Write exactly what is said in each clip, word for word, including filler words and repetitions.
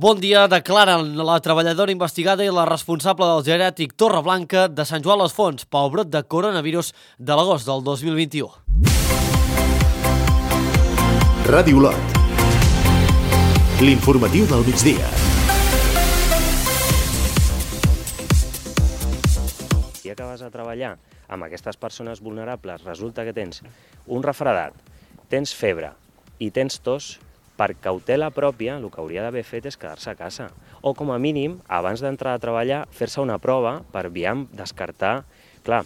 Bon dia, declaren la treballadora investigada i la responsable del geriàtric Torreblanca de Sant Joan les Fonts pel brot de coronavirus de l'agost del dos mil vint-i-u. Ràdio Olot. L'informatiu del migdia. Ja que vas a treballar amb aquestes persones vulnerables, resulta que tens un refredat, tens febre i tens tos, per cautela pròpia, el que hauria d'haver fet és quedar-se a casa. O, com a mínim, abans d'entrar a treballar, fer-se una prova per, aviam, descartar. Clar,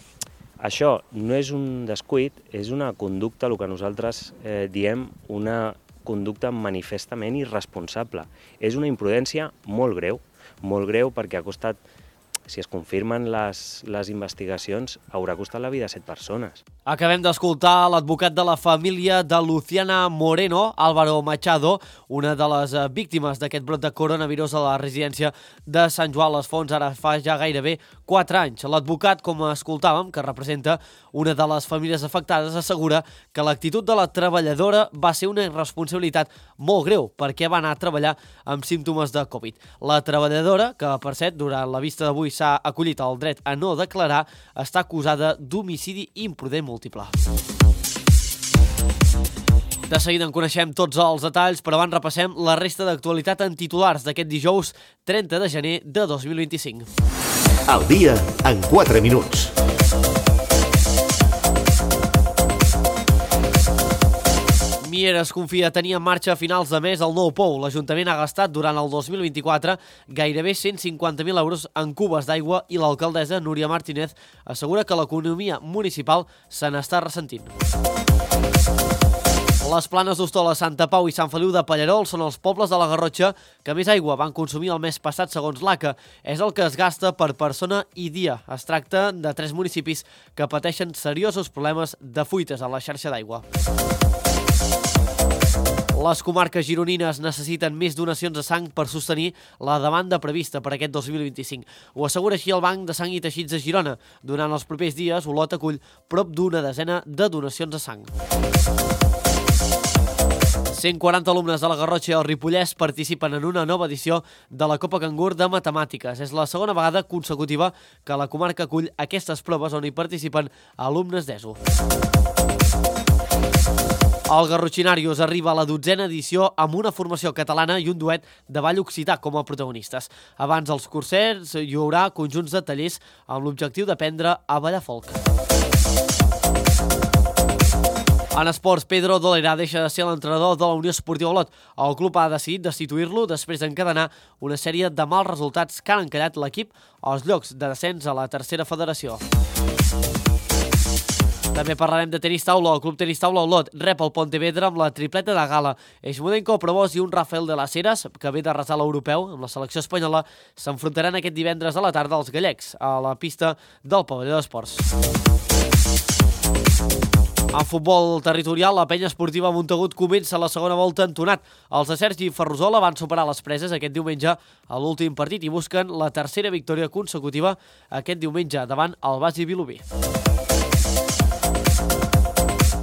això no és un descuit, és una conducta, el que nosaltres eh, diem, una conducta manifestament irresponsable. És una imprudència molt greu, molt greu perquè ha costat, si es confirmen les, les investigacions, haurà costat la vida a set persones. Acabem d'escoltar l'advocat de la família de Luciana Moreno, Álvaro Machado, una de les víctimes d'aquest brot de coronavirus a la residència de Sant Joan les Fonts, ara fa ja gairebé quatre anys. L'advocat, com escoltàvem, que representa una de les famílies afectades, assegura que l'actitud de la treballadora va ser una irresponsabilitat molt greu perquè va anar a treballar amb símptomes de Covid. La treballadora, que per cert, durant la vista d'avui s'ha acollit el dret a no declarar, està acusada d'homicidi imprudent múltiple. De seguida en coneixem tots els detalls, però abans repassem la resta d'actualitat en titulars d'aquest dijous trenta de gener de dos mil vint-i-cinc. El dia en quatre minuts. Mieres confia tenir en marxa a finals de mes el nou pou. L'Ajuntament ha gastat durant el dos mil vint-i-quatre gairebé cent cinquanta mil euros en cubes d'aigua i l'alcaldessa Núria Martínez assegura que l'economia municipal se n'està ressentint. Les Planes d'Hostola, Santa Pau i Sant Feliu de Pallerols són els pobles de la Garrotxa que més aigua van consumir el mes passat segons l'A C A. És el que es gasta per persona i dia. Es tracta de tres municipis que pateixen seriosos problemes de fuites a la xarxa d'aigua. Les comarques gironines necessiten més donacions de sang per sostenir la demanda prevista per aquest dos mil vint-i-cinc. Ho assegura així el Banc de Sang i Teixits de Girona. Durant els propers dies, Olot acull prop d'una desena de donacions de sang. cent quaranta alumnes de la Garrotxa i el Ripollès participen en una nova edició de la Copa Cangur de Matemàtiques. És la segona vegada consecutiva que la comarca acull aquestes proves on hi participen alumnes d'ESO. El Garrotxinarius arriba a la dotzena edició amb una formació catalana i un duet de ball occità com a protagonistes. Abans dels cursers hi haurà conjunts de tallers amb l'objectiu d'aprendre a ballar folk. En esports, Pedro Dolera deixa de ser l'entrenador de la Unió Esportiva Olot. El club ha decidit destituir-lo després d'encadenar una sèrie de mals resultats que han encallat l'equip als llocs de descens a la tercera federació. També parlarem de tenis taula. El Club Tenis Taula Olot rep el Pontevedra amb la tripleta de gala. Eixmudenko, Probós i un Rafael de las Heras, que ve de resar l'europeu amb la selecció espanyola, s'enfrontaran aquest divendres a la tarda als gallecs, a la pista del pavelló d'esports. En futbol territorial, la penya esportiva Montagut comença la segona volta entonat. Els de Sergi Ferrusola van superar les preses aquest diumenge a l'últim partit i busquen la tercera victòria consecutiva aquest diumenge davant el Basi Vilobí.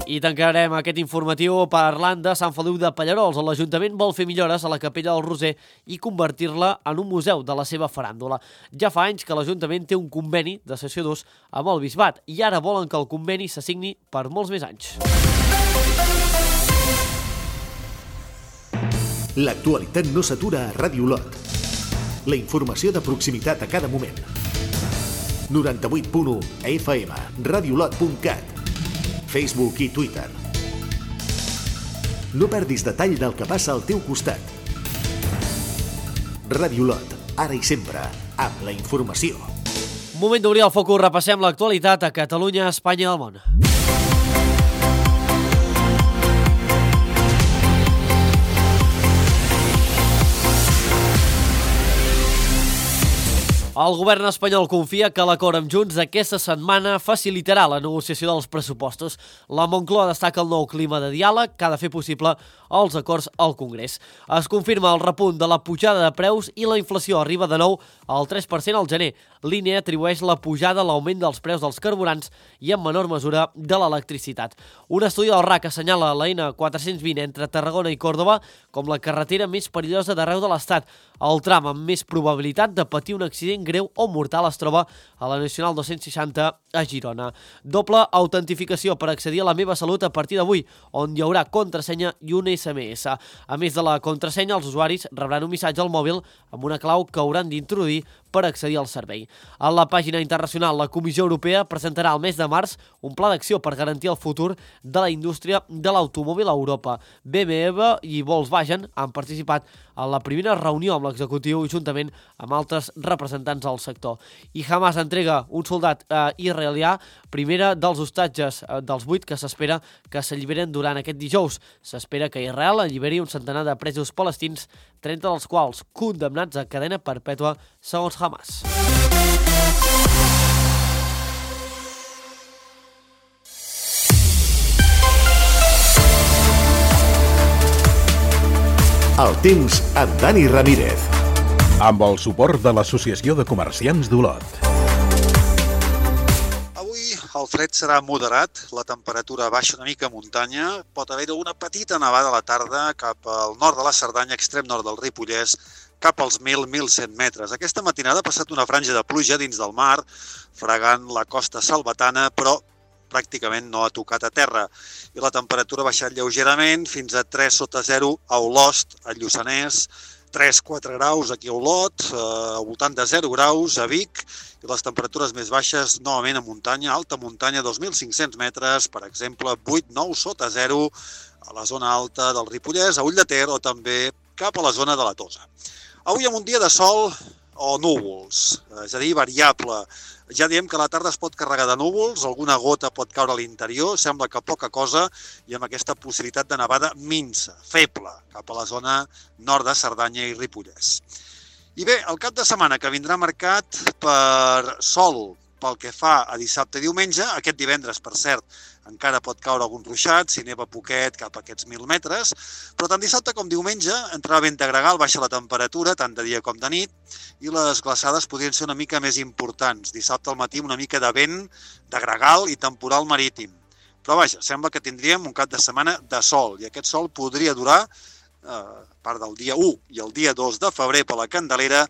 I tancarem aquest informatiu parlant de Sant Feliu de Pallerols. L'Ajuntament vol fer millores a la Capella del Roser i convertir-la en un museu de la seva faràndula. Ja fa anys que l'Ajuntament té un conveni de cessió d'ús amb el Bisbat i ara volen que el conveni s'assigni per molts més anys. L'actualitat no s'atura a Ràdio Olot. La informació de proximitat a cada moment. noranta-vuit punt u F M, radiolot punt cat. Facebook i Twitter. No perdis detall del que passa al teu costat. Ràdio Olot, ara i sempre, amb la informació. Moment d'obrir el focus, repassem l'actualitat a Catalunya, Espanya i el món. El govern espanyol confia que l'acord amb Junts aquesta setmana facilitarà la negociació dels pressupostos. La Moncloa destaca el nou clima de diàleg que ha de fer possible els acords al Congrés. Es confirma el repunt de la pujada de preus i la inflació arriba de nou al tres per cent al gener. L'I N E atribueix la pujada a l'augment dels preus dels carburants i en menor mesura de l'electricitat. Un estudi del R A C assenyala la N quatre-cents vint entre Tarragona i Còrdova com la carretera més perillosa d'arreu de l'Estat. El tram amb més probabilitat de patir un accident greu o mortal es troba a la Nacional dos-cents seixanta a Girona. Doble autentificació per accedir a La Meva Salut a partir d'avui, on hi haurà contrasenya i un S M S. A més de la contrasenya, els usuaris rebran un missatge al mòbil amb una clau que hauran d'introduir per accedir al servei. A la pàgina internacional, la Comissió Europea presentarà al mes de març un pla d'acció per garantir el futur de la indústria de l'automòbil a Europa. B M W i Volkswagen han participat en la primera reunió amb l'executiu juntament amb altres representants del sector. I Hamas entrega un soldat eh, israelià, primera dels hostatges eh, dels vuit que s'espera que s'alliberen durant aquest dijous. S'espera que Israel alliberi un centenar de presos palestins, trenta dels quals condemnats a cadena perpètua segons Hamas. El temps amb Dani Ramírez. Amb el suport de l'Associació de Comerciants d'Olot. Avui el fred serà moderat, la temperatura baixa una mica a muntanya, pot haver-hi una petita nevada a la tarda cap al nord de la Cerdanya, extrem nord del Ripollès, cap als mil a mil cent metres. Aquesta matinada ha passat una franja de pluja dins del mar, fregant la costa salvatana, però pràcticament no ha tocat a terra. I la temperatura ha baixat lleugerament fins a tres sota zero a Olost, a Lluçanès, tres a quatre graus aquí a Olot, eh, al voltant de zero graus a Vic, i les temperatures més baixes novament a muntanya, alta muntanya, dos mil cinc-cents metres, per exemple, vuit a nou sota zero a la zona alta del Ripollès, a Ull de Ter o també cap a la zona de la Tosa. Avui amb un dia de sol o núvols, és a dir, variable. Ja diem que a la tarda es pot carregar de núvols, alguna gota pot caure a l'interior, sembla que poca cosa, i amb aquesta possibilitat de nevada minsa, feble, cap a la zona nord de Cerdanya i Ripollès. I bé, el cap de setmana que vindrà marcat per sol pel que fa a dissabte i diumenge, aquest divendres, per cert, encara pot caure algun ruixat, si neva poquet cap a aquests mil metres, però tant dissabte com diumenge entrarà vent de gregal, baixa la temperatura, tant de dia com de nit, i les glaçades podrien ser una mica més importants. Dissabte al matí una mica de vent, de gregal i temporal marítim. Però vaja, sembla que tindríem un cap de setmana de sol, i aquest sol podria durar, eh, a part del dia u i el dia dos de febrer per la Candelera,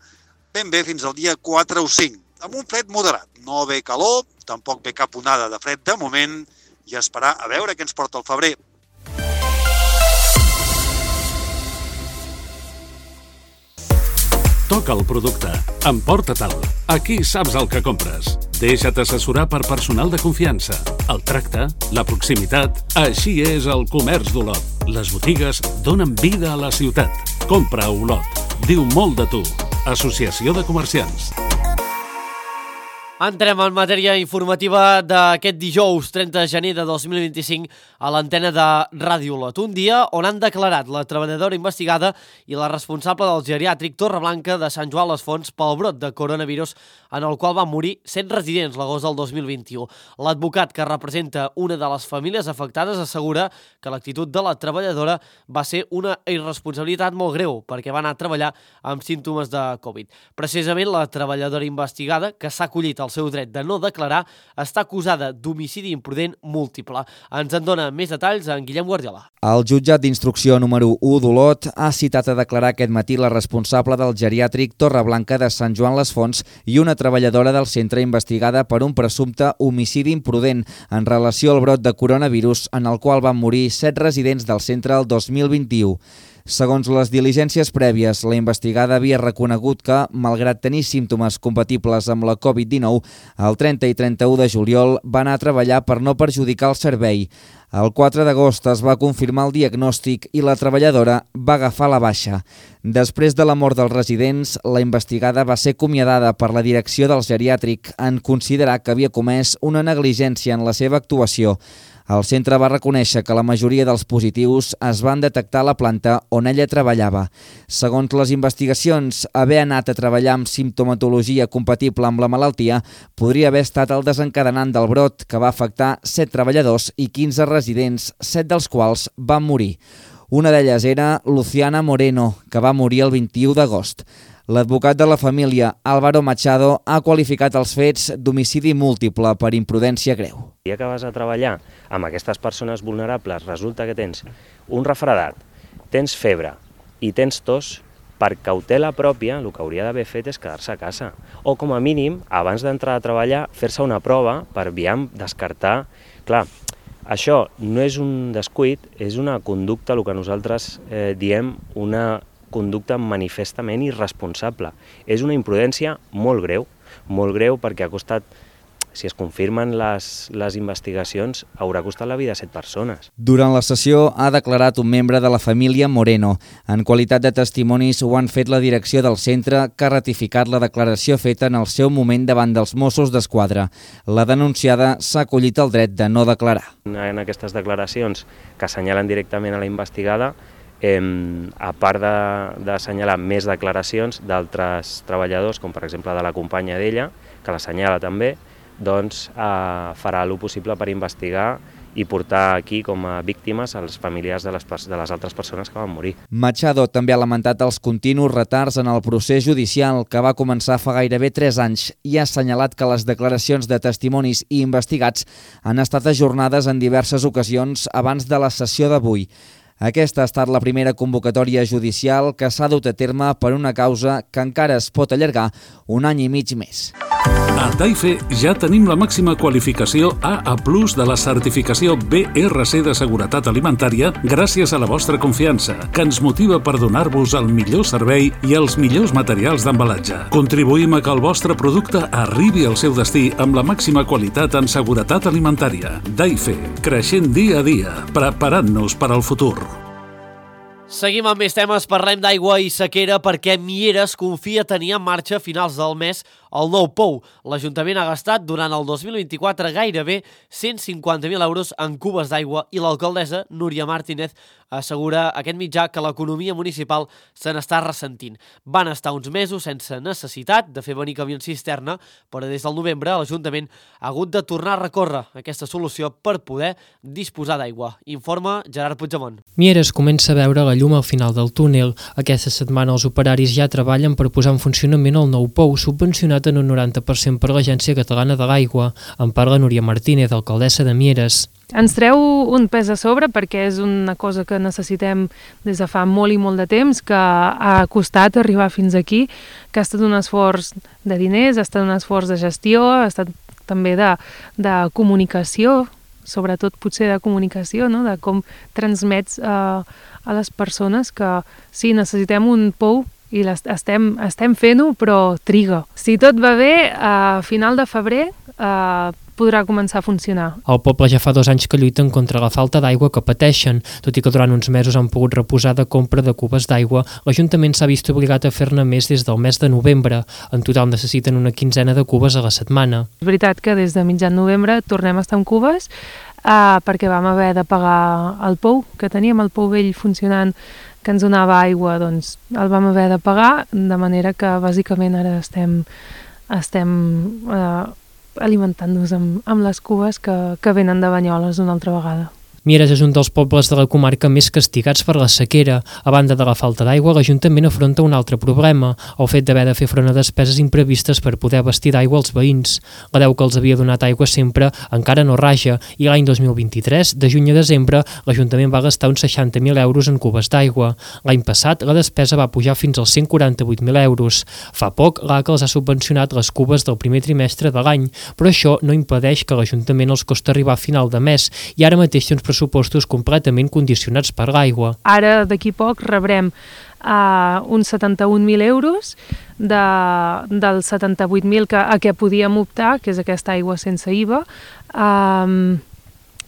ben bé fins al dia quatre o cinc, amb un fred moderat. No ve calor, tampoc ve cap onada de fred de moment, i esperar a veure què ens porta el febrer. Toca el producte. Emporta-te'l. Aquí saps el que compres. Deixa't assessorar per personal de confiança. El tracte, la proximitat... Així és el comerç d'Olot. Les botigues donen vida a la ciutat. Compra a Olot. Diu molt de tu. Associació de Comerciants. Entrem en matèria informativa d'aquest dijous trenta de gener de dos mil vint-i-cinc a l'antena de Ràdio Olot. Un dia on han declarat la treballadora investigada i la responsable del geriàtric Torreblanca de Sant Joan les Fonts pel brot de coronavirus en el qual van morir cent residents l'agost del dos mil vint-i-u. L'advocat que representa una de les famílies afectades assegura que l'actitud de la treballadora va ser una irresponsabilitat molt greu perquè va anar a treballar amb símptomes de Covid. Precisament la treballadora investigada, que s'ha acollit el seu dret de no declarar, està acusada d'homicidi imprudent múltiple. Ens en dona més detalls en Guillem Guardiola. El jutjat d'instrucció número u d'Olot ha citat a declarar aquest matí la responsable del geriàtric Torreblanca de Sant Joan les Fonts i una treballadora del centre investigada per un presumpte homicidi imprudent en relació al brot de coronavirus en el qual van morir set residents del centre el dos mil vint-i-u. Segons les diligències prèvies, la investigada havia reconegut que, malgrat tenir símptomes compatibles amb la Covid dinou, el trenta i trenta-u de juliol va anar a treballar per no perjudicar el servei. El quatre d'agost es va confirmar el diagnòstic i la treballadora va agafar la baixa. Després de la mort dels residents, la investigada va ser acomiadada per la direcció del geriàtric en considerar que havia comès una negligència en la seva actuació. El centre va reconèixer que la majoria dels positius es van detectar a la planta on ella treballava. Segons les investigacions, haver anat a treballar amb simptomatologia compatible amb la malaltia podria haver estat el desencadenant del brot que va afectar set treballadors i quinze residents, set dels quals van morir. Una d'elles era Luciana Moreno, que va morir el vint-i-u d'agost. L'advocat de la família, Álvaro Machado, ha qualificat els fets d'homicidi múltiple per imprudència greu. El dia que vas a treballar amb aquestes persones vulnerables resulta que tens un refredat, tens febre i tens tos, per cautela pròpia el que hauria d'haver fet és quedar-se a casa. O com a mínim, abans d'entrar a treballar, fer-se una prova per aviam descartar. Clar, això no és un descuit, és una conducta, el que nosaltres eh, diem una conducta manifestament irresponsable. És una imprudència molt greu, molt greu perquè ha costat, si es confirmen les, les investigacions, haurà costat la vida a set persones. Durant la sessió ha declarat un membre de la família Moreno. En qualitat de testimonis ho han fet la direcció del centre, que ha ratificat la declaració feta en el seu moment davant dels Mossos d'Esquadra. La denunciada s'ha acollit el dret de no declarar. En aquestes declaracions que assenyalen directament a la investigada, Eh, a part d'assenyalar de, més declaracions d'altres treballadors, com per exemple de la companya d'ella, que l'assenyala també, doncs eh, farà el possible per investigar i portar aquí com a víctimes als familiars de les, de les altres persones que van morir. Machado també ha lamentat els continus retards en el procés judicial que va començar fa gairebé tres anys i ha assenyalat que les declaracions de testimonis i investigats han estat ajornades en diverses ocasions abans de la sessió d'avui. Aquesta ha estat la primera convocatòria judicial que s'ha dut a terme per una causa que encara es pot allargar un any i mig més. A Taife ja tenim la màxima qualificació A A plus de la certificació B R C de seguretat alimentària gràcies a la vostra confiança, que ens motiva per donar-vos el millor servei i els millors materials d'embalatge. Contribuïm a que el vostre producte arribi al seu destí amb la màxima qualitat en seguretat alimentària. Taife, creixent dia a dia, preparant-nos per al futur. Seguim amb més temes, parlem d'aigua i sequera perquè Mieres confia tenir en marxa a finals del mes el nou pou. L'Ajuntament ha gastat durant el dos mil vint-i-quatre gairebé cent cinquanta mil euros en cubes d'aigua i l'alcaldessa Núria Martínez assegura a aquest mitjà que l'economia municipal se n'està ressentint. Van estar uns mesos sense necessitat de fer venir camions cisterna, però des del novembre l'Ajuntament ha hagut de tornar a recórrer aquesta solució per poder disposar d'aigua. Informa Gerard Puigdemont. Mieres comença a veure la llum al final del túnel. Aquesta setmana els operaris ja treballen per posar en funcionament el nou pou, subvencionat en un noranta per cent per l'Agència Catalana de l'Aigua. En parla Núria Martínez, alcaldessa de Mieres. Ens treu un pes a sobre perquè és una cosa que necessitem des de fa molt i molt de temps, que ha costat arribar fins aquí, que ha estat un esforç de diners, ha estat un esforç de gestió, ha estat també de, de comunicació, sobretot potser de comunicació, no? De com transmets eh, a les persones que sí, necessitem un pou i estem, estem fent-ho, però triga. Si tot va bé, a final de febrer eh, podrà començar a funcionar. El poble ja fa dos anys que lluiten contra la falta d'aigua que pateixen. Tot i que durant uns mesos han pogut reposar de compra de cubes d'aigua, l'Ajuntament s'ha vist obligat a fer-ne més des del mes de novembre. En total necessiten una quinzena de cubes a la setmana. És veritat que des de mitjan novembre tornem a estar amb cubes eh, perquè vam haver de pagar el pou, que teníem el pou vell funcionant, que ens donava aigua, doncs el vam haver de pagar, de manera que bàsicament ara estem, estem eh, alimentant-nos amb, amb les cubes que, que venen de Banyoles una altra vegada. Mieres és un dels pobles de la comarca més castigats per la sequera. A banda de la falta d'aigua, l'Ajuntament afronta un altre problema, el fet d'haver de fer front a despeses imprevistes per poder abastir d'aigua als veïns. La deu que els havia donat aigua sempre encara no raja i l'any dos mil vint-i-tres, de juny a desembre, l'Ajuntament va gastar uns seixanta mil euros en cubes d'aigua. L'any passat, la despesa va pujar fins als cent quaranta-vuit mil euros. Fa poc, l'A C A els ha subvencionat les cubes del primer trimestre de l'any, però això no impedeix que l'Ajuntament els costa arribar a final de mes i ara mateix té uns pressupostos completament condicionats per l'aigua. Ara, d'aquí poc, rebrem uh, uns setanta-un mil euros de, dels setanta-vuit mil que, a què podíem optar, que és aquesta aigua sense I V A, um,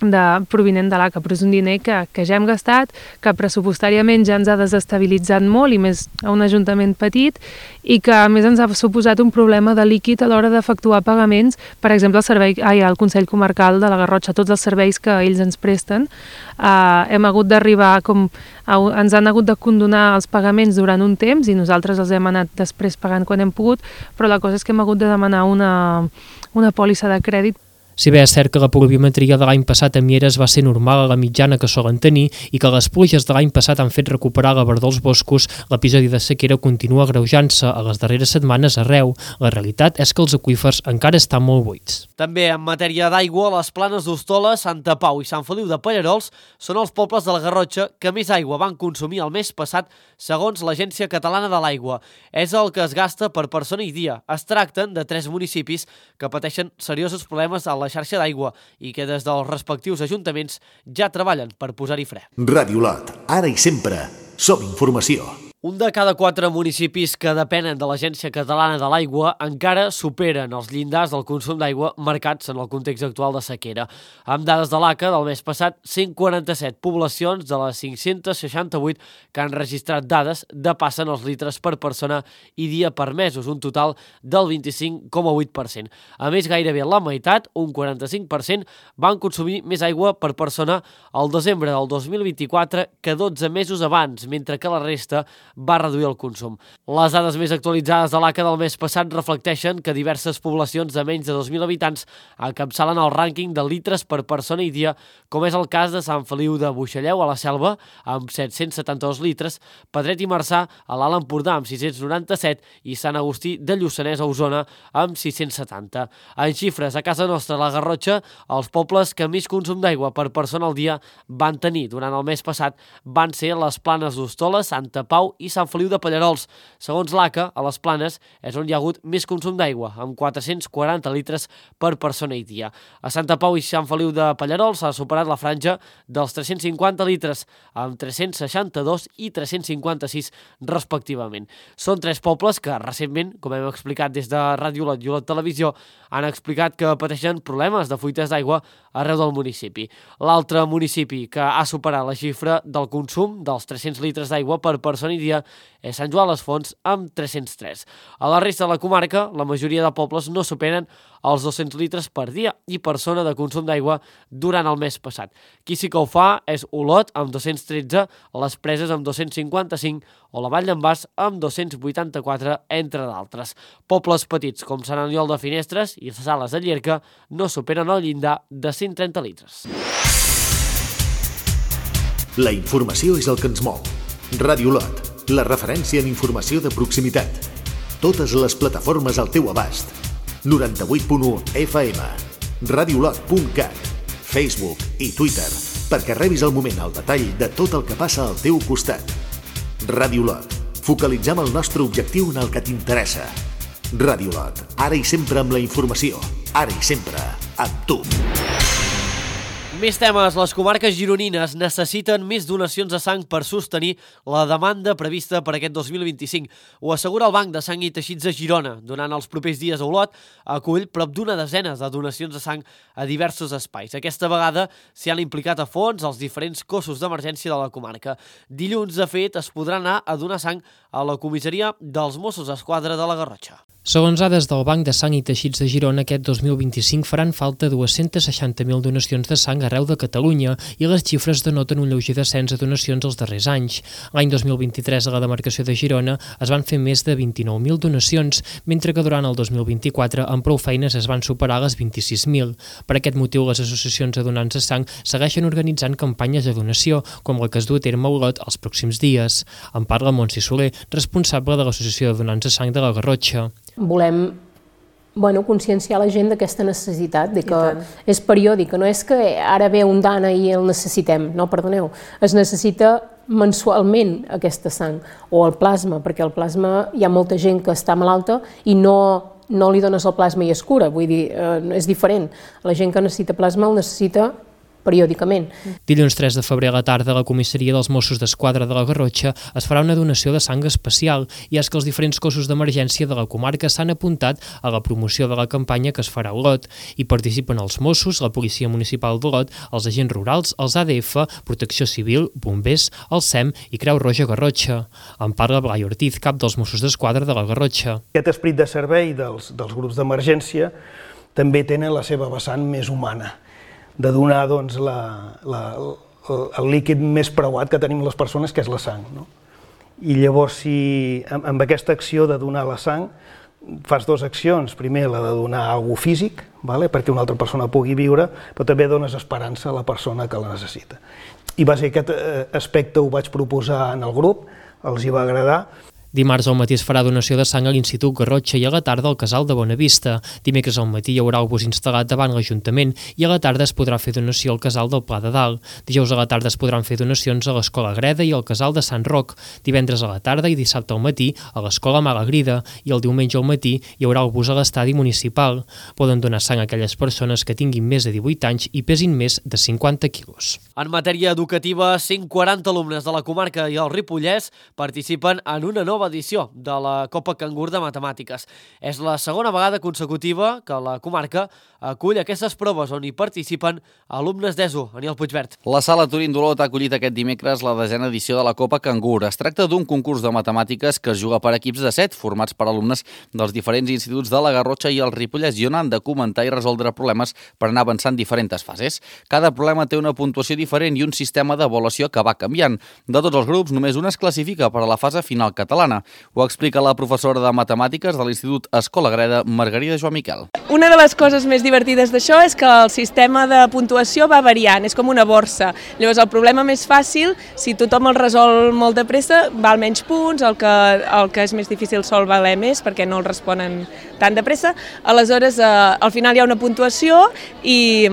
de, provinent de l'A C A, però és un diner que, que ja hem gastat, que pressupostàriament ja ens ha desestabilitzat molt, i més a un ajuntament petit, i que a més ens ha suposat un problema de líquid a l'hora d'efectuar pagaments, per exemple, el, servei, ai, el Consell Comarcal de la Garrotxa, tots els serveis que ells ens presten, eh, hem hagut d'arribar, com a, ens han hagut de condonar els pagaments durant un temps, i nosaltres els hem anat després pagant quan hem pogut, però la cosa és que hem hagut de demanar una, una pòlissa de crèdit. Si bé és cert que la pluviometria de l'any passat a Mieres va ser normal a la mitjana que solen tenir i que les pluges de l'any passat han fet recuperar la verdor dels boscos, l'episodi de sequera continua agreujant-se a les darreres setmanes arreu. La realitat és que els aqüífers encara estan molt buits. També en matèria d'aigua, les Planes d'Hostola, Santa Pau i Sant Feliu de Pallerols són els pobles de la Garrotxa que més aigua van consumir el mes passat, segons l'Agència Catalana de l'Aigua. És el que es gasta per persona i dia. Es tracten de tres municipis que pateixen seriosos problemes a la la xarxa d'aigua i que des dels respectius ajuntaments ja treballen per posar-hi fre. Ràdio Lot, ara i sempre, som informació. Un de cada quatre municipis que depenen de l'Agència Catalana de l'Aigua encara superen els llindars del consum d'aigua marcats en el context actual de sequera. Amb dades de l'A C A del mes passat, cent quaranta-set poblacions de les cinc-cents seixanta-vuit que han registrat dades depassen els litres per persona i dia permesos, un total del vint-i-cinc coma vuit per cent. A més, gairebé la meitat, un quaranta-cinc per cent, van consumir més aigua per persona al desembre del dos mil vint-i-quatre que dotze mesos abans, mentre que la resta va reduir el consum. Les dades més actualitzades de l'A C A del mes passat reflecteixen que diverses poblacions de menys de dos mil habitants encapçalen el rànquing de litres per persona i dia, com és el cas de Sant Feliu de Buixalleu, a la Selva, amb set-cents setanta-dos litres, Pedret i Marçà, a l'Alt Empordà, amb sis-cents noranta-set, i Sant Agustí de Lluçanès, a Osona, amb sis-cents setanta. En xifres, a casa nostra, a la Garrotxa, els pobles que més consum d'aigua per persona al dia van tenir durant el mes passat van ser les Planes d'Hostola, Santa Pau i Sant Feliu de Pallerols. Segons l'A C A, a les Planes és on hi ha hagut més consum d'aigua, amb quatre-cents quaranta litres per persona i dia. A Santa Pau i Sant Feliu de Pallerols s'ha superat la franja dels tres-cents cinquanta litres, amb tres-cents seixanta-dos i tres-cents cinquanta-sis respectivament. Són tres pobles que recentment, com hem explicat des de Ràdio Lot i Olot Televisió, han explicat que pateixen problemes de fuites d'aigua arreu del municipi. L'altre municipi que ha superat la xifra del consum dels tres-cents litres d'aigua per persona i dia és Sant Joan les Fonts, amb tres-cents tres. A la resta de la comarca, la majoria de pobles no superen els dos-cents litres per dia i persona de consum d'aigua durant el mes passat. Qui sí que ho fa és Olot, amb dos-cents tretze, les Preses amb dos-cents cinquanta-cinc o la Vall d'en Bas amb dos-cents vuitanta-quatre, entre d'altres. Pobles petits com Sant Aniol de Finestres i Sales de Llierca no superen el llindar de cent trenta litres. La informació és el que ens mou. Ràdio Lot, la referència en informació de proximitat. Totes les plataformes al teu abast. noranta-vuit punt u F M, radiolot punt cat, Facebook i Twitter, perquè rebis al moment el detall de tot el que passa al teu costat. Ràdio Lot, focalitzem el nostre objectiu en el que t'interessa. Ràdio Lot, ara i sempre amb la informació, ara i sempre amb tu. Més temes. Les comarques gironines necessiten més donacions de sang per sostenir la demanda prevista per aquest dos mil vint-i-cinc. Ho assegura el Banc de Sang i Teixits de Girona. Durant els propers dies a Olot acull prop d'una desena de donacions de sang a diversos espais. Aquesta vegada s'hi han implicat a fons els diferents cossos d'emergència de la comarca. Dilluns, de fet, es podrà anar a donar sang a la comissaria dels Mossos d'Esquadra de la Garrotxa. Segons dades del Banc de Sang i Teixits de Girona, aquest dos mil vint-i-cinc faran falta dues-centes seixanta mil donacions de sang arreu de Catalunya i les xifres denoten un lleuger descens de donacions els darrers anys. L'any dos mil vint-i-tres a la demarcació de Girona es van fer més de vint-i-nou mil donacions, mentre que durant el dos mil vint-i-quatre amb prou feines es van superar les vint-i-sis mil. Per aquest motiu, les associacions de donants de sang segueixen organitzant campanyes de donació, com la que es du a terme a Olot els pròxims dies. En parla Montse Soler, responsable de l'Associació de Donants de Sang de la Garrotxa. Volem bueno, conscienciar la gent d'aquesta necessitat, de que és periòdic, que no és que ara ve un dana i el necessitem, no, perdoneu, es necessita mensualment aquesta sang, o el plasma, perquè el plasma hi ha molta gent que està malalta i no, no li dones el plasma i es cura, vull dir, eh, és diferent. La gent que necessita plasma el necessita periòdicament. Dilluns tres de febrer a la tarda a la comissaria dels Mossos d'Esquadra de la Garrotxa es farà una donació de sang especial i és que els diferents cossos d'emergència de la comarca s'han apuntat a la promoció de la campanya que es farà a Olot. Hi participen els Mossos, la Policia Municipal d'Olot, els agents rurals, els A D F, Protecció Civil, Bombers, el S E M i Creu Roja Garrotxa. En parla Blai Ortiz, cap dels Mossos d'Esquadra de la Garrotxa. Aquest esperit de servei dels, dels grups d'emergència també tenen la seva vessant més humana, de donar doncs, la, la, el líquid més preuat que tenim les persones, que és la sang. No? I llavors, si amb, amb aquesta acció de donar la sang, fas dues accions. Primer, la de donar alguna cosa físic, vale? perquè una altra persona pugui viure, però també dones esperança a la persona que la necessita. I va ser aquest aspecte ho vaig proposar en el grup, els hi va agradar. Dimarts al matí es farà donació de sang a l'Institut Garrotxa i a la tarda al Casal de Bonavista. Dimecres al matí hi haurà el bus instal·lat davant l'Ajuntament i a la tarda es podrà fer donació al Casal del Pla de Dalt. Dijous a la tarda es podran fer donacions a l'Escola Greda i al Casal de Sant Roc. Divendres a la tarda i dissabte al matí a l'Escola Malagrida i el diumenge al matí hi haurà el bus a l'estadi municipal. Poden donar sang a aquelles persones que tinguin més de divuit anys i pesin més de cinquanta quilos. En matèria educativa, cent quaranta alumnes de la comarca i el Ripollès participen en una nova edició de la Copa Cangur de Matemàtiques. És la segona vegada consecutiva que la comarca acull aquestes proves on hi participen alumnes d'ESO. Aniel Puigvert. La Sala Turín d'Olot ha acollit aquest dimecres la desena edició de la Copa Cangur. Es tracta d'un concurs de matemàtiques que es juga per equips de set, formats per alumnes dels diferents instituts de la Garrotxa i el Ripollès, i on han de comentar i resoldre problemes per anar avançant diferents fases. Cada problema té una puntuació diferent i un sistema d'avaluació que va canviant. De tots els grups, només un es classifica per a la fase final catalana. Ho explica la professora de matemàtiques de l'Institut Escola Greda, Margarida Joan Miquel. Una de les coses més divertides d'això és que el sistema de puntuació va variant, és com una borsa. Llavors el problema més fàcil, si tothom el resol molt de pressa, val menys punts, el que, el que és més difícil sol valer més perquè no el responen tan de pressa. Aleshores, eh, al final hi ha una puntuació i,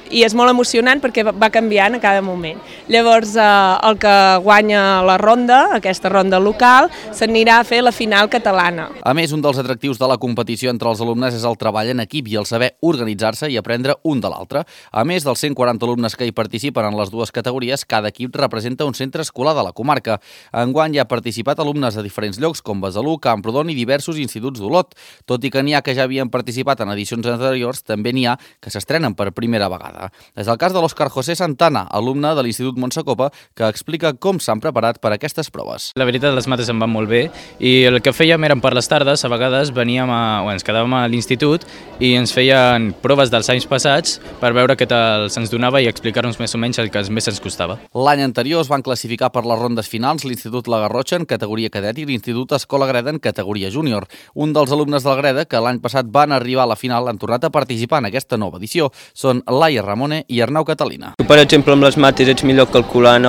i és molt emocionant perquè va canviant a cada moment. Llavors eh, el que guanya la ronda, aquesta ronda local, s'anirà a fer la final catalana. A més, un dels atractius de la competició entre els alumnes és el treball en equip i el saber organitzar-se i aprendre un de l'altre. A més dels cent quaranta alumnes que hi participen en les dues categories, cada equip representa un centre escolar de la comarca. Enguany hi ha participat alumnes de diferents llocs com Besalú, Camprodon i diversos instituts d'Olot. Tot i que n'hi ha que ja havien participat en edicions anteriors, també n'hi ha que s'estrenen per primera vegada. És el cas de l'Òscar José Santana, alumne de l'Institut Montsecopa, que explica com s'han preparat per a aquestes proves. La veritat, les mates em van molt bé i el que fèiem eren per les tardes, a vegades veníem a, o ens quedàvem a l'institut i ens feien proves dels anys passats per veure què tal se'ns donava i explicar-nos més o menys el que més ens costava. L'any anterior es van classificar per les rondes finals l'Institut La Garrotxa en categoria cadet i l'Institut Escola Greda en categoria júnior. Un dels alumnes del Greda, que l'any passat van arribar a la final, han tornat a participar en aquesta nova edició. Són Laia Ramone i Arnau Catalina. Per exemple, amb les mates ets millor calculant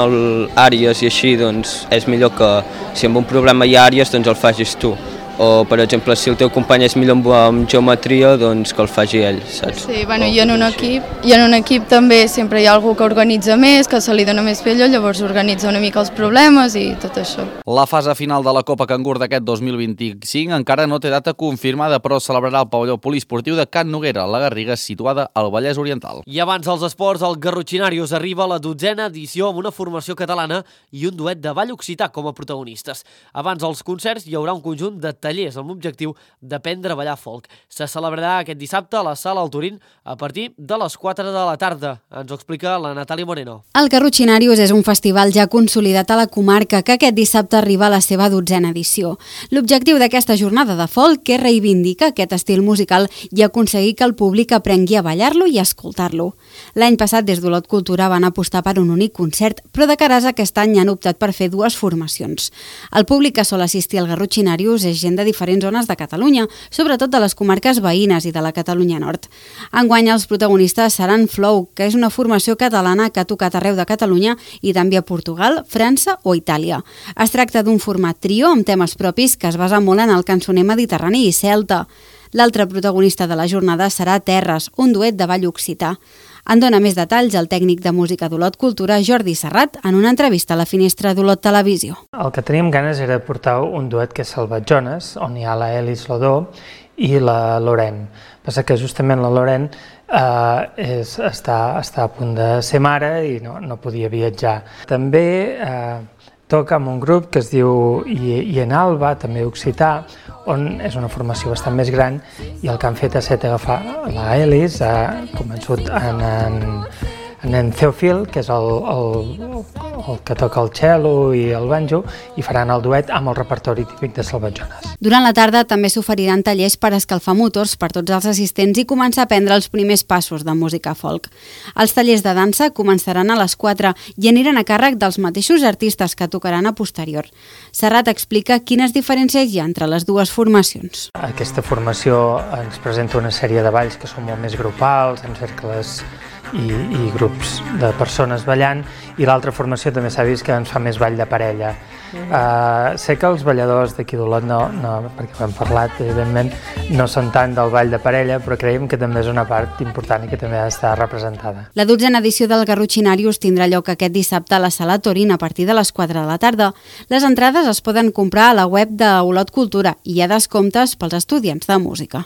àrees i així, doncs és millor que si amb un problema hi ha àrees, doncs el facis tu. O, per exemple, si el teu company és millor amb geometria, doncs que el faci ell, saps? Sí, bueno, i en un equip, i en un equip també sempre hi ha algú que organitza més, que se li dona més pell, llavors organitza una mica els problemes i tot això. La fase final de la Copa Cangur d'aquest dos mil vint-i-cinc encara no té data confirmada, però es celebrarà al pavelló poliesportiu de Can Noguera, a la Garriga, situada al Vallès Oriental. I abans dels esports, el Garrotxinarius arriba a la dotzena edició amb una formació catalana i un duet de ball occità com a protagonistes. Abans dels concerts hi haurà un conjunt de tallers amb l'objectiu d'aprendre a ballar folk. Se celebrarà aquest dissabte a la Sala El Turín a partir de les quatre de la tarda. Ens ho explica la Natàlia Moreno. El Garrotxinarius és un festival ja consolidat a la comarca que aquest dissabte arriba a la seva dotzena edició. L'objectiu d'aquesta jornada de folk és reivindicar aquest estil musical i aconseguir que el públic aprengui a ballar-lo i a escoltar-lo. L'any passat des d'Olot Cultura van apostar per un únic concert, però de cares aquest any han optat per fer dues formacions. El públic que sol assistir al Garrotxinarius és gent de diferents zones de Catalunya, sobretot de les comarques veïnes i de la Catalunya Nord. Enguany els protagonistes seran Flow, que és una formació catalana que ha tocat arreu de Catalunya i també a Portugal, França o Itàlia. Es tracta d'un format trio amb temes propis que es basa molt en el cançoner mediterrani i celta. L'altre protagonista de la jornada serà Terres, un duet de ball occità. En dona més detalls el tècnic de música d'Olot Cultura, Jordi Serrat, en una entrevista a la Finestra d'Olot Televisió. El que teníem ganes era portar un duet que és Salvatjones, on hi ha la Elis Lodó i la Loren. Passa que justament la Loren eh, és, està, està a punt de ser mare i no, no podia viatjar. També eh, toca amb un grup que es diu I, I en Alba, també occità, on és una formació bastant més gran i el que han fet ha estat agafar la Elis, ha convençut en, en, en Theophil, que és el, el, el que toca el cello i el banjo, i faran el duet amb el repertori típic de Salvatjones. Durant la tarda també s'oferiran tallers per escalfar motors per tots els assistents i començar a aprendre els primers passos de música folk. Els tallers de dansa començaran a les quatre i aniran a càrrec dels mateixos artistes que tocaran a posterior. Serrat explica quines diferències hi ha entre les dues formacions. Aquesta formació ens presenta una sèrie de balls que són molt més grupals, amb cercles i, i grups de persones ballant, i l'altra formació també s'ha vist que ens fa més ball de parella. Mm. Uh, sé que els balladors d'aquí d'Olot, no, no, perquè ho hem parlat, evidentment, no són tant del ball de parella, però creiem que també és una part important i que també ha d'estar representada. La dotzena edició del Garrotxinarius tindrà lloc aquest dissabte a la Sala Torín a partir de les quatre de la tarda. Les entrades es poden comprar a la web d'Olot Cultura i hi ha descomptes pels estudiants de música.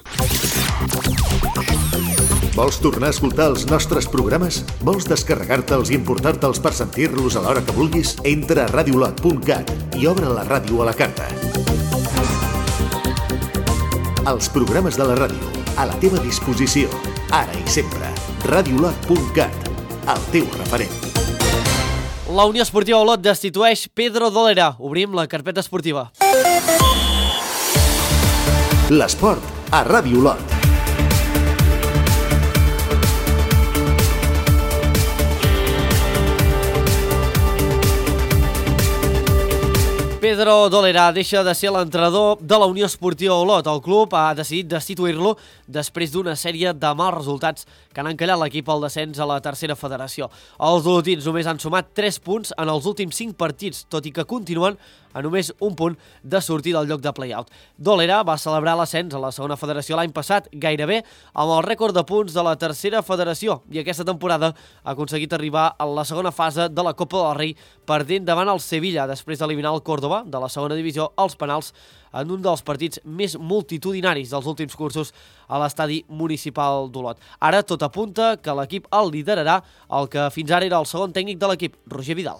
Vols tornar a escoltar els nostres programes? Vols descarregar-te'ls i importar-te'ls per sentir-los a l'hora que vulguis? Entra a radiolot punt cat i obre la ràdio a la carta. Els programes de la ràdio, a la teva disposició, ara i sempre. radiolot punt cat, el teu referent. La Unió Esportiva Olot destitueix Pedro Dolera. Obrim la carpeta esportiva. L'esport a Ràdio Olot. Pedro Dolera deixa de ser l'entrenador de la Unió Esportiva Olot. El club ha decidit destituir-lo després d'una sèrie de mals resultats que han encallat l'equip al descens a la tercera federació. Els olotins només han sumat tres punts en els últims cinc partits, tot i que continuen a només un punt de sortir del lloc de play-out. Dolera va celebrar l'ascens a la segona federació l'any passat gairebé amb el rècord de punts de la tercera federació i aquesta temporada ha aconseguit arribar a la segona fase de la Copa del Rei perdent davant el Sevilla després d'eliminar el Córdoba de la segona divisió als penals en un dels partits més multitudinaris dels últims cursos a l'estadi municipal d'Olot. Ara tot apunta que l'equip el liderarà el que fins ara era el segon tècnic de l'equip, Roger Vidal.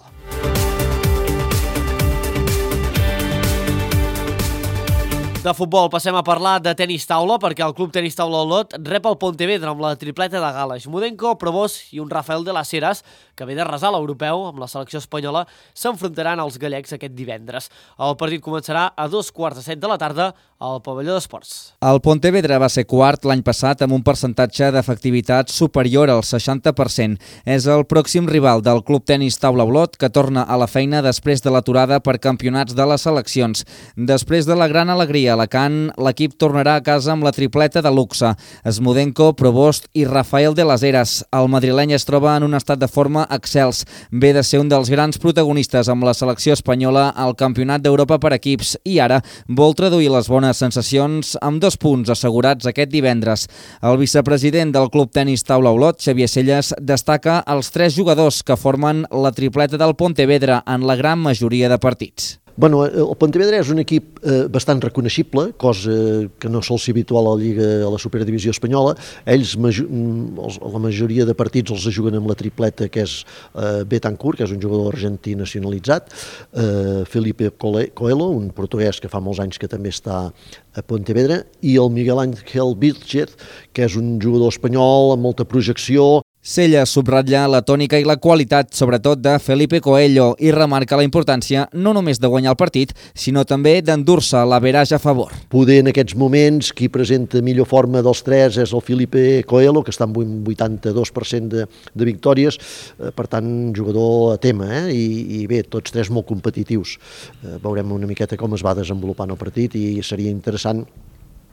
De futbol passem a parlar de tenis taula perquè el club tenis taula Olot rep el Pontevedra amb la tripleta de Gala, Mudenko, Probós i un Rafael de las Heras que ve de resar l'europeu amb la selecció espanyola, s'enfrontaran als gallecs aquest divendres. El partit començarà a dos quarts de set de la tarda al pavelló d'esports. El Pontevedra va ser quart l'any passat amb un percentatge d'efectivitat superior al seixanta per cent. És el pròxim rival del club tenis taula Olot que torna a la feina després de l'aturada per campionats de les seleccions. Després de la gran alegria a Alacant, l'equip tornarà a casa amb la tripleta de luxe. Smudenko, Provost i Rafael de las Heras. El madrileny es troba en un estat de forma excels. Ve de ser un dels grans protagonistes amb la selecció espanyola al Campionat d'Europa per equips i ara vol traduir les bones sensacions amb dos punts assegurats aquest divendres. El vicepresident del Club Tenis Taula Olot, Xavier Selles, destaca els tres jugadors que formen la tripleta del Pontevedra en la gran majoria de partits. Bueno, el Pontevedra és un equip eh, bastant reconeixible, cosa que no sol ser habitual a la Lliga, a la Superdivisió espanyola. Ells, la majoria de partits els juguen amb la tripleta, que és eh, Betancourt, que és un jugador argentí nacionalitzat, eh, Felipe Coelho, un portuguès que fa molts anys que també està a Pontevedra, i el Miguel Ángel Vilchez, que és un jugador espanyol amb molta projecció. Sella subratlla la tònica i la qualitat, sobretot de Felipe Coelho, i remarca la importància no només de guanyar el partit, sinó també d'endur-se l'average a favor. Poder en aquests moments qui presenta millor forma dels tres és el Felipe Coelho, que està amb un vuitanta-dos per cent de, de victòries, eh, per tant, jugador a tema, eh? I, i bé, tots tres molt competitius. Eh, veurem una miqueta com es va desenvolupant el partit i seria interessant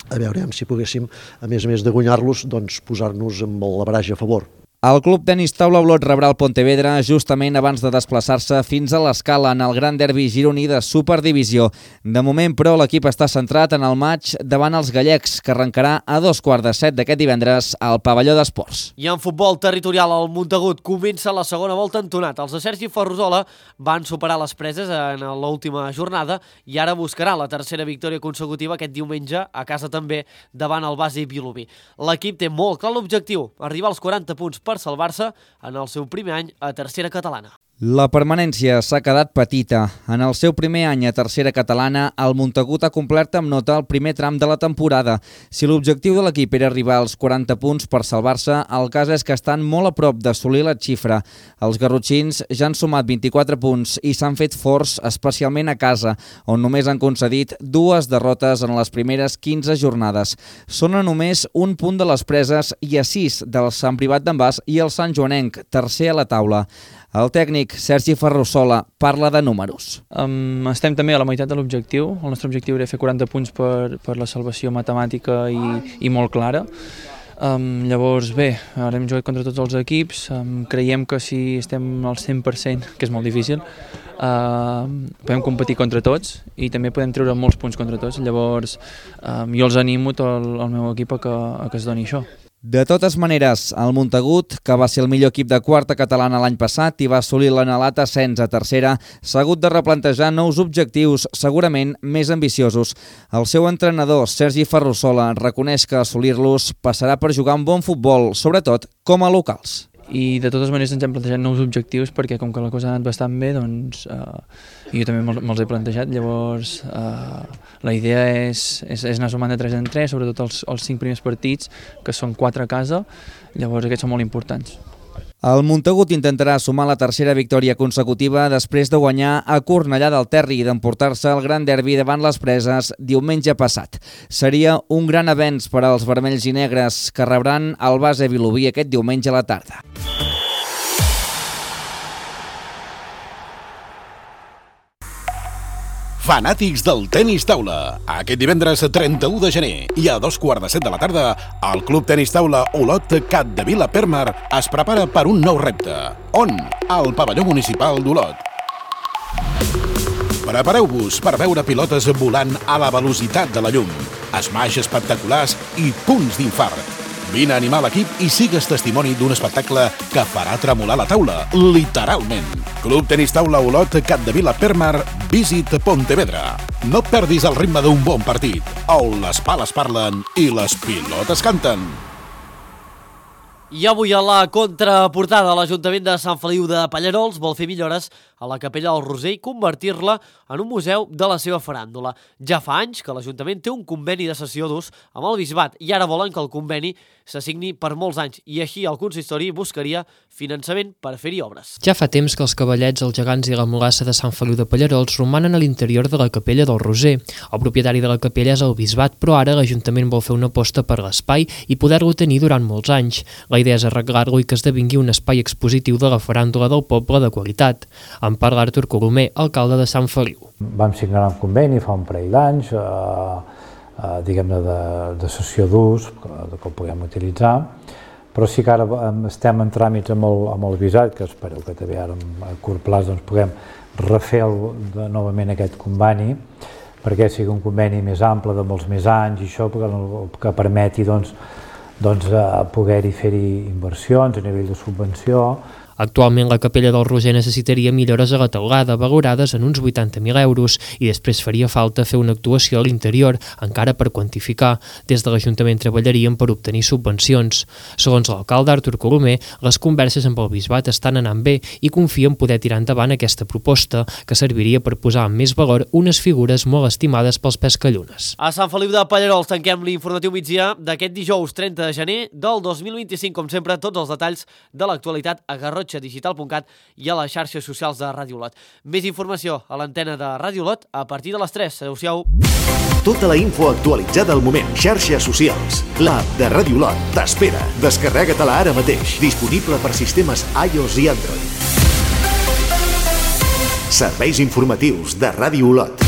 a veure si poguéssim, a més a més de guanyar-los, doncs posar-nos amb l'average a favor. El Club Tenis Taula Olot rebrà el Pontevedra justament abans de desplaçar-se fins a l'Escala en el gran derbi gironí de Superdivisió. De moment, però, l'equip està centrat en el maig davant els gallecs, que arrencarà a dos quarts de set d'aquest divendres al pavelló d'esports. I en futbol territorial, el Montagut comença la segona volta entonat. Els de Sergi Ferrusola van superar les preses en l'última jornada i ara buscarà la tercera victòria consecutiva aquest diumenge a casa també davant el Basi Vilobí. L'equip té molt clar l'objectiu, arribar als quaranta punts per salvar-se en el seu primer any a tercera catalana. La permanència s'ha quedat petita. En el seu primer any a tercera catalana, el Montagut ha complert amb nota el primer tram de la temporada. Si l'objectiu de l'equip era arribar als quaranta punts per salvar-se, el cas és que estan molt a prop d'assolir la xifra. Els garrotxins ja han sumat vint-i-quatre punts i s'han fet forts, especialment a casa, on només han concedit dues derrotes en les primeres quinze jornades. Són a només un punt de les preses i a sis del Sant Privat d'en Bas i el Sant Joanenc, tercer a la taula. El tècnic Sergi Ferrusola parla de números. Um, estem també a la meitat de l'objectiu. El nostre objectiu era fer quaranta punts per, per la salvació matemàtica i, i molt clara. Um, llavors, bé, ara hem jugat contra tots els equips. Um, creiem que si estem al cent per cent, que és molt difícil, uh, podem competir contra tots i també podem treure molts punts contra tots. Llavors, um, jo els animo tot el, el meu equip a que, a que es doni això. De totes maneres, el Montagut, que va ser el millor equip de quarta catalana l'any passat i va assolir l'anhelat ascens a tercera, s'ha hagut de replantejar nous objectius, segurament més ambiciosos. El seu entrenador, Sergi Ferrusola, reconeix que assolir-los passarà per jugar un bon futbol, sobretot com a locals. I de totes maneres ens hem plantejat nous objectius perquè com que la cosa ha anat bastant bé, doncs eh, jo també me'ls me he plantejat. Llavors eh, la idea és, és, és anar sumant de tres en tres, sobretot els, els cinc primers partits, que són quatre a casa, llavors aquests són molt importants. El Montagut intentarà sumar la tercera victòria consecutiva després de guanyar a Cornellà del Terri i d'emportar-se el gran derbi davant les preses diumenge passat. Seria un gran avenç per als vermells i negres, que rebran el Basi Vilobí aquest diumenge a la tarda. Fanàtics del tenis taula. Aquest divendres trenta-u de gener i a dos quarts de set de la tarda, el Club Tenis Taula Olot Capdevila Permar es prepara per un nou repte. On? Al pavelló municipal d'Olot. Prepareu-vos per veure pilotes volant a la velocitat de la llum, smash espectaculars i punts d'infart. Vine a animar l'equip i sigues testimoni d'un espectacle que farà tremolar la taula, literalment. Club Tenis Taula Olot Capdevila Permar, Visit Pontevedra. No perdis el ritme d'un bon partit, on les pales parlen i les pilotes canten. I avui a la contraportada, l'Ajuntament de Sant Feliu de Pallerols vol fer millores a la Capella del Roser i convertir-la en un museu de la seva faràndula. Ja fa anys que l'Ajuntament té un conveni de cessió d'ús amb el Bisbat i ara volen que el conveni s'assigni per molts anys i així el consistori buscaria finançament per fer-hi obres. Ja fa temps que els cavallets, els gegants i la mulassa de Sant Feliu de Pallerols romanen a l'interior de la Capella del Roser. El propietari de la capella és el Bisbat, però ara l'Ajuntament vol fer una aposta per l'espai i poder-lo tenir durant molts anys. La idea és arreglar-lo i que esdevingui un espai expositiu de la faràndula del poble de qualitat. En parla Artur Colomer, alcalde de Sant Feliu. Vam signar un conveni fa un parell d'anys, eh, eh, diguem-ne de, de cessió d'ús, que, que el puguem utilitzar, però sí que ara estem en tràmits amb el, amb el Bisbat, que espero que també ara a curt plaç doncs, puguem refer el, de, novament aquest conveni, perquè sigui un conveni més ample de molts més anys i això que, que permeti doncs, doncs, poder-hi fer-hi inversions a nivell de subvenció. Actualment la Capella del Roser necessitaria millores a la teulada, valorades en uns vuitanta mil euros, i després faria falta fer una actuació a l'interior, encara per quantificar. Des de l'Ajuntament treballarien per obtenir subvencions. Segons l'alcalde Artur Colomer, les converses amb el Bisbat estan anant bé i confien poder tirar endavant aquesta proposta, que serviria per posar en més valor unes figures molt estimades pels pescallunes. A Sant Feliu de Pallerols tanquem l'informatiu migdia d'aquest dijous trenta de gener del dos mil vint-i-cinc. Com sempre, tots els detalls de l'actualitat a garrotxa digital punt cat i a les xarxes socials de Ràdio Olot. Més informació a l'antena de Ràdio Olot a partir de les tres. Adéu-siau. Tota la info actualitzada al moment. Xarxes socials. L'app de Ràdio Olot t'espera. Descarrega-te-la ara mateix. Disponible per sistemes iOS i Android. Serveis informatius de Ràdio Olot.